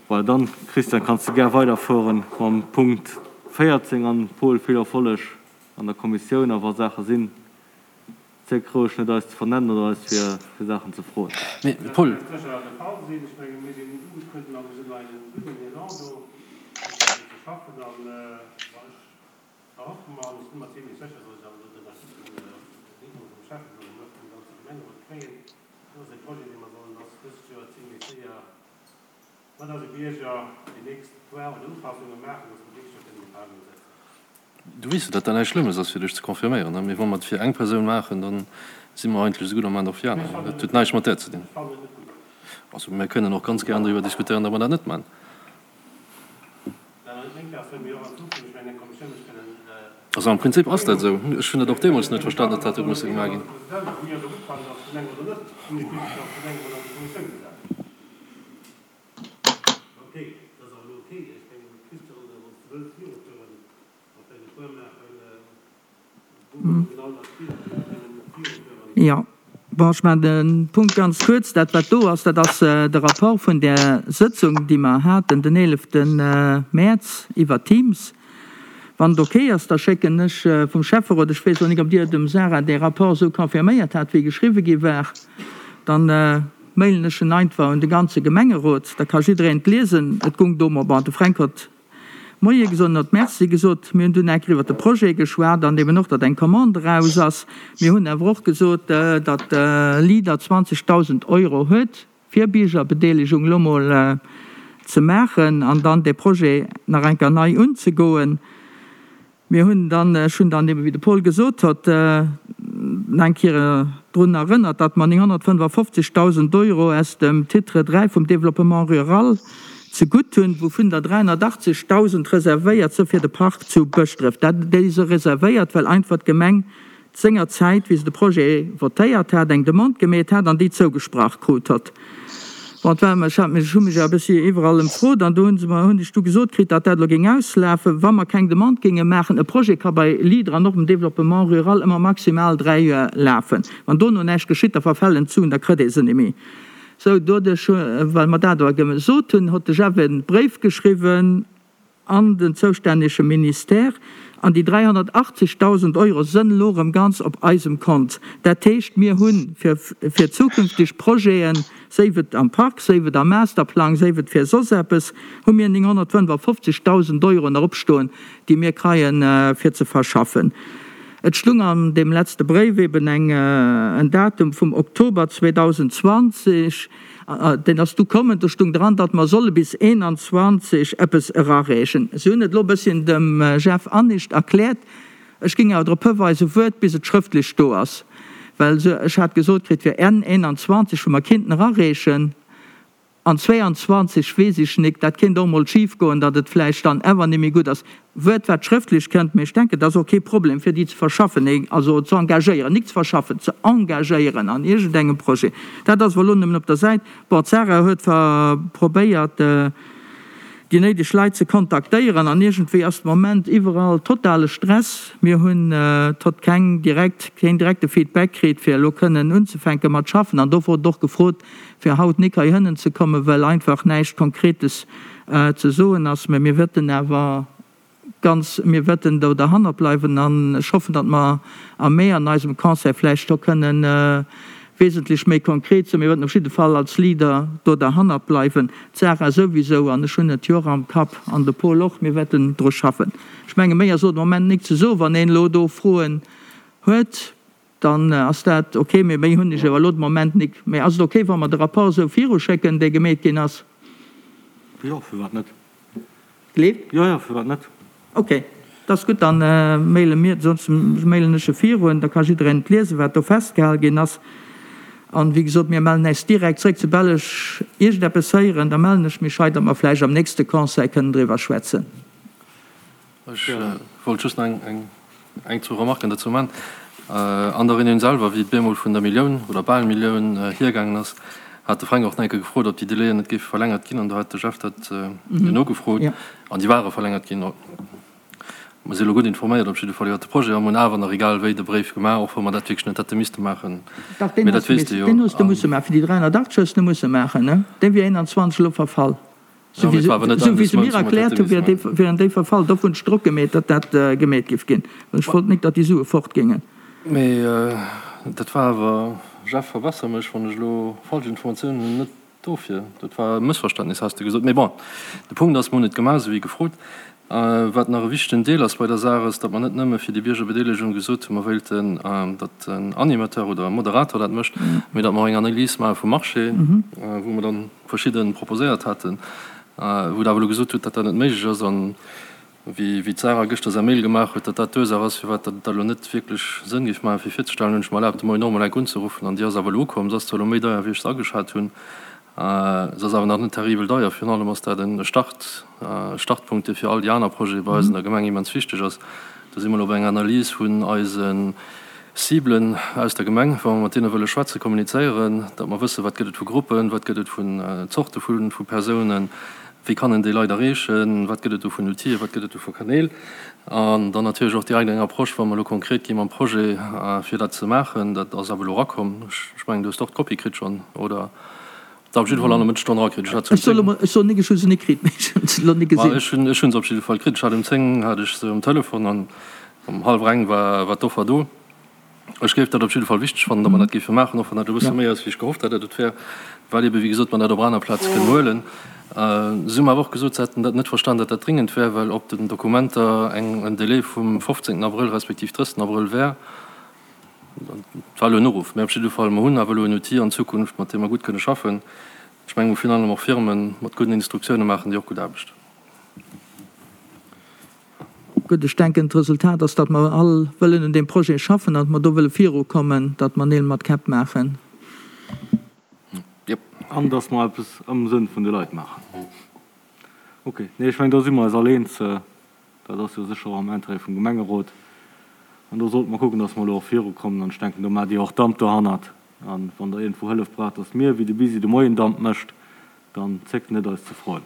Voilà, dann, Christian, kanns de gär weiderfueren mam Punkt 14 an Paul, vill Erfolleg an der Kommissioun a wa Saache sinn, zéck roueg net eis ze vernennen oder eis fir fir Saachen ze froen. Mee Paul. Mat eise Bierger déi nächst Foire oder Upassunge maachen, dass mer d'nächst Joer kënnen déi Phasen setzen. Du weess jo, datt dat näischt Schlëmmes ass, fir dech ze confirméieren. Mee wa mer et fir eng Persoun maachen, da si mer eigentlech esou gutt a maachen et och fir aner. Dat huet näischt mat där ze dinn. Also mir kënnen och ganz gären driwwer diskutéieren, datt mer dat net maachen. Also am Prinzip ass dat esou. Ech hunn dat och deemools net verstanen, datt dat huet musse gemaach ginn. Jo, bon, ech maachen de Punkt ganz kuerz. Dat, wat do ass, dat ass de Rapport vun där Sëtzung, déi mer haten den 11 Mäerz iwwer Teams. Wann et ok ass, da schécken ech vum Schäfferot, ech weess elo nik, ob Dir dem Sarah dee Rapport esou confirméiert hat, wéi geschriwwe gi war, dann mailen ech en einfach un de ganze Gemengerot, da ka jiddereen et liesen. Et gung do, bon, de Fränk huet Moie gesot, en huet Merci gesot. Mir hunn dunn enker iwwert de Projet geschwat an eben och, datt eng Commande eraus ass. Mir hunn awer och gesot, datt Leader 20.000 Euro huet, fir Biergerbedeelegung elo mol ze maachen an dann dee Projet nach eng Kéier nei unzegoen. Mir hunn dann, ech hunn dann eben, wéi de Paul gesot hott, nach eng Kéier drun erënnert, datt mer 955.000 Euro aus dem Titre 3 vum Développement rural zegutt hunn, wouvun der 380.000 reservéiert si fir de Park zu Bëschdref. Dat, déi si reservéiert, well einfach d'Gemeng senger Zäit, wéi se de Projet votéiert hat, eng Demande gemeet hat an déi zougesprach krut hott. Bon, et war, ech hat mech, ech hu mech awer e bëssi iwwerall ëmfrot an do hu se mer, hunn ech du gesot kritt, datt dat elo géing auslafen, wa mer keng Demande géinge maachen. E Projet ka bei Leader an och dem Développement rural ëmmer maximal 3 Joer lafen. Wann dono näischt geschitt, da verfällen d'Suen, da kritt ee se net méi. Sou, doduerch, well mer dat awer gesot hunn, hott de Jeff e Bréif geschriwwen, an den zoustännege Ministère, an déi 380.000 Euro sënn elo erëm ganz op eisem Kont. Dat heescht, mir hu fir fir zukünfteg Projeten, séif et am Park, séif et am Masterplang, séif et fir soss eppes, hu mir 955.000 Euro nach opstoen, déi mir kreien, fir ze verschaffen. Et stung an deem letzte Bréif eben eng en Datum vum Oktober 2020. Deen ass du kommen, do stung dran, datt mer solle bis 21 eppes erareechen. Si hunn et elo e bësschen dem Jeff anescht erkläert. Ech géing awer drop hiweisen, wuart bis et schrëftlech do ass, well ech hat gesot kritt, fir Enn 21, wou mer kinnten erareechen, an 22 weess ech nik, dat kéint och emol schifgoen, datt et vläicht dann awer net méi gutt ass. Wuert wat schrëftlech kënnt, mee ech denken, et ass och kee Problem fir déi ze verschaffen, also ze engagéieren, nik ze verschaffen, ze engagéieren an iergendengem Projet. Dat ass awer elo nëmmen op der Säit. Bon, d'Sarah huet probéiert, déi néideg Leit ze kontaktéieren an iergendwéi ass de Moment iwwerall totale Stress. Mir hunn tot keng direkt, keen direkte Feedback kritt, fir elo kënnen unzefänke mat schaffen an do wor et och gefrot, fir haut nik heihinnen ze kommen, well einfach näischt Konkretes ze soen ass. Mä mir wëtten awer ganz, mir wëtten do derhannert bleiwen an ech hoffen, datt mer am Mee an eisem Conseil vläicht do kënnen wesentlech méi konkret sinn. Mir wëtten op jidde Fall als Leader do derhannert bleiwen, d'Sarah souwisou an ech hunn et jo och am Kapp an de Paul och, mir wëtten dru schaffen. Ech menge méi ass elo de Moment nik ze soen. Wann een elo do Froen huet, Dann ass dat ok, mee méi hunn ech awer elo de Moment nik. Mee ass et ok, wa mer de Rapport esou viruschécken, dee gemeet ginn ass? Jo, firwat net? Gleeft? Jo, jo, firwat net? Ok, dat ass gutt, dann maile mir, soss mailen ech e virun, da ka jiddereen et liesen, wat do festgehal ginn ass. An, wéi gesot, mir mellen äis direkt zréck, soubal ech iergendeppes héieren, da mellen ech mech hei, datt mer vläicht am nächste Conseil kënnen driwwer schwätzen. Ech wollt just nach eng, zwou Remarken dozou man. An der Reunioun selwer, wéi et bemol vun der Millioun oder bal Millioun hiergaangen ass, hat de Fränk och nach eng Kéier gefrot, ob déi Délaiën net géife verlängert ginn. An do hat de Jeff dat jo nogefrot an déi ware verlängert ginn. Mer si elo gutt informéiert op jidde Fall iwwert de Projet a mer hunn awer nach egal wéi de Bréif gemaach, och wa mer dat wierklech net hätte misste maachen. Dach, deen hues de musse maachen. Fir déi 380 hues de musse maachen, ne? Dee wier 21 elo verfall. Sou wéi se mir erkläert hunn, wieren déi verfall. Dofir hunn ech Drock gemeet, datt dat gemeet géif ginn, well ech wollt nik, datt déi Sue fort géingen. Mee dat war awer, Jeff, verbesser mech, wann ech elo falsch Informatiounen hunn, net dofir. Dat war e Mëssverständnis, has de gesot. Mee bon, de Punkt ass, mer hunn et gemaach, esou wéi gefrot. Wat nach e wichtegen Deel ass bei der Saach, ass, datt mer net nëmme fir déi Biergerbedeelegung gesot hunn, mer wéilten, datt en Animateur oder e Moderator dat mécht, mee datt mer och eng Analys maache vum Marché, wou mer dann verschidde proposéiert haten, wou Der awer elo gesot hutt, datt dat net méiglech ass an wéi d'Sarah gëschter säi Mail gemaach huet, datt dat d'Ursaach ass, firwat datt et elo net wierklech Sënn géif maachen, fir virzestellen, hunn ech mer erlaabt, de Moien och emol enk unzeruffen an déi ass awer elo ukomm. Se ass zwar elo méi deier, wéi ech se ageschat hunn, se ass awer nach net terribel deier. Virun allem ass dat e Start, e Startpunkt, dee fir all déi aner Projete bei eis an der Gemeng immens wichteg ass. Do si mer elo bei enger Analys vun eise Ciblen aus der Gemeng, wa mer mat deene wëlle schwätzen, kommunizéieren, datt mer wëssen, wat gëtt et vu Gruppen, wat gëtt et vun Zorte vu Persounen, wéi kann een déi Leit erreechen, wat gëtt et do vun Outile, wat gëtt et do vu Kanäl. An dann natierlech och direkt eng Approche, wa mer elo konkret gi mam Projet, fir dat ze maachen. Dat ass awer elo erakomm. Ech mengen, du hues och d'Kopie kritt schonn, oder? Op jidde Fall an der Mëttesstonn erakritt. Ech hat se um 10. Ech soen nik, ech hu se nik kritt, mee ech hunn se elo nik gesinn. Ech hunn ech hunn se op jidde Fall kritt. Ech hat um 10 hat ech se um Telefon an um hallwer eng war war d'Offer do. Ech géif dat op jidde Fall wichteg fannen, datt mer dat géife maachen, och wann dat e bësse méi ass, wéi ech gehofft hat, datt et wär, well ebe wéi gesot mer dat op aner Plaze kënnen huelen. Si hu mer awer och gesot, se hätten dat net verstan, datt dat dringend wär, well op den Dokumenter eng en Délai vum 15 Abrëll respektiv 30 Abrëll wär. Et war elo en Uruff, mä op jidde Fall, mer hunn awer elo en Outil an Zukunft, mat deem mer gutt kënne schaffen. Ech mengen, wou virun allem och Firme mat gudden Instruktioune maachen déi och gutt Aarbecht. Gutt, ech denken, d'Resultat ass, datt mer all wëllen un deem Projet schaffen an datt mer do wëlle virukommen, datt mer Neel mat Käpp maachen. Jep. An datt mer eppes am Sënn vun de Leit maachen. Okay. Nee, ech mengen, do si mer eis all eens. Dat ass jo sécher och am Intérêt vum Gemengerot. An do sollte mer kucken, dass mer elo och virukommen. An ech denken, do maacht Dir och Damp dohannert. A wann Der iergendwou Hëllef braucht, dass mir, wéi de Bisi de Moien Damp mécht, dann zéckt net, eis ze froen.